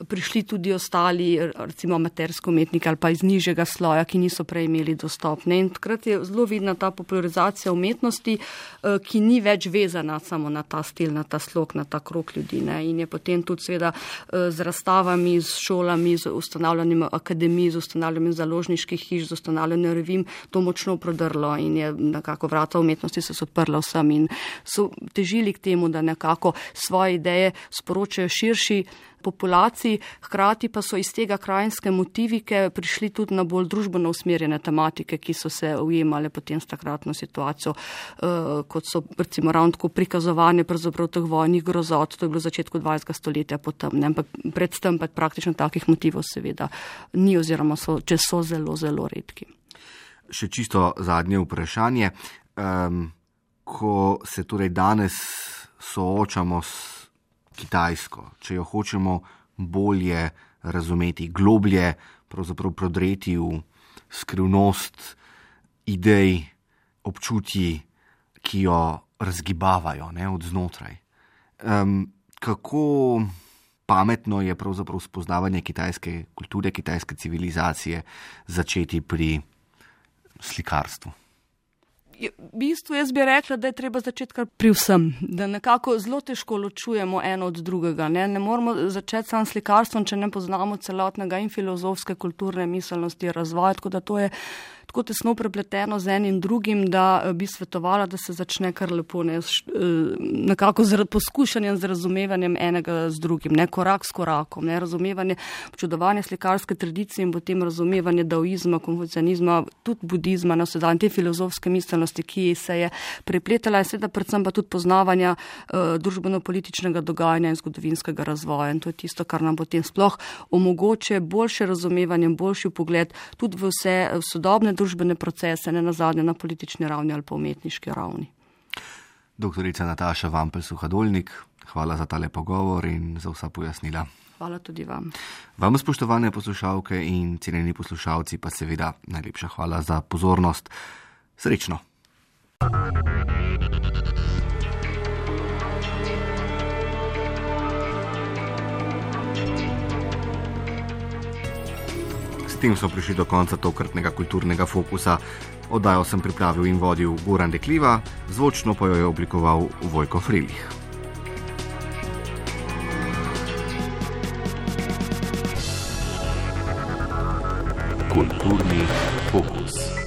prišli tudi ostali, recimo amaterski umetniki ali pa iz nižjega sloja, ki niso prej imeli dostop. Ne? In takrat je zelo vidna ta popularizacija umetnosti, ki ni več vezana samo na ta stil, na ta slog, na ta krog ljudi. Ne? In je potem tudi seveda z razstavami, z šolami, z ustanavljanjem akademij, z ustanavljanjem založniških hiš, z ustanavljanjem revim to močno prodrlo in je nekako vrata umetnosti se so odprla vsem in so težili k temu, da nekako svoje ideje sporočajo širši populaciji, hkrati pa so iz tega krajinske motivike prišli tudi na bolj družbeno usmerjene tematike, ki so se ujemale potem s takratno situacijo, uh, kot so recimo ravno tako prikazovanje pravzaprav teh vojnih grozot, to je bilo v začetku dvajsetega stoletja potem, ne, ampak predtem pa praktično takih motivov seveda ni oziroma so, če so zelo, zelo redki. Še čisto zadnje vprašanje. Um, ko se torej danes soočamo s Kitajsko, če jo hočemo bolje razumeti, globlje pravzaprav prodreti v skrivnost idej, občutji, ki jo razgibavajo, ne, od znotraj. Um, kako pametno je pravzaprav spoznavanje kitajske kulture, kitajske civilizacije začeti pri slikarstvu? V bistvu jaz bi rekla, da je treba začeti kar pri vsem, da nekako zelo težko ločujemo eno od drugega. Ne, ne moramo začeti sam slikarstvom, če ne poznamo celotnega in filozofske, kulturne miselnosti, razvoja, tako da to je tako tesno prepleteno z enim drugim, da bi svetovala, da se začne kar lepo, ne, nekako z poskušanjem, z razumevanjem enega z drugim, ne, korak s korakom, ne, razumevanje, občudovanje slikarske tradicije in potem razumevanje daoizma, konfucianizma, tudi budizma, na vse dan, te filozofske miselnosti, ki se je prepletala in seveda predvsem pa tudi poznavanja uh, družbeno-političnega dogajanja in zgodovinskega razvoja. In to je tisto, kar nam potem sploh omogoče boljše razumevanje, boljši pogled tudi v vse v sodobne družbene procese, ne nazadnje na politični ravni ali pa umetniški ravni. Doktorica Nataša Vampel-Suhadolnik, hvala za tale pogovor in za vsa pojasnila. Hvala tudi vam. Vam, spoštovane poslušalke in cenjeni poslušalci, pa seveda najlepša hvala za pozornost. Srečno! S tem smo prišli do konca tokratnega kulturnega fokusa. Oddajo sem pripravil in vodil Goran Dekliva, zvočno pa jo je oblikoval Vojko Frilih. Kulturni fokus.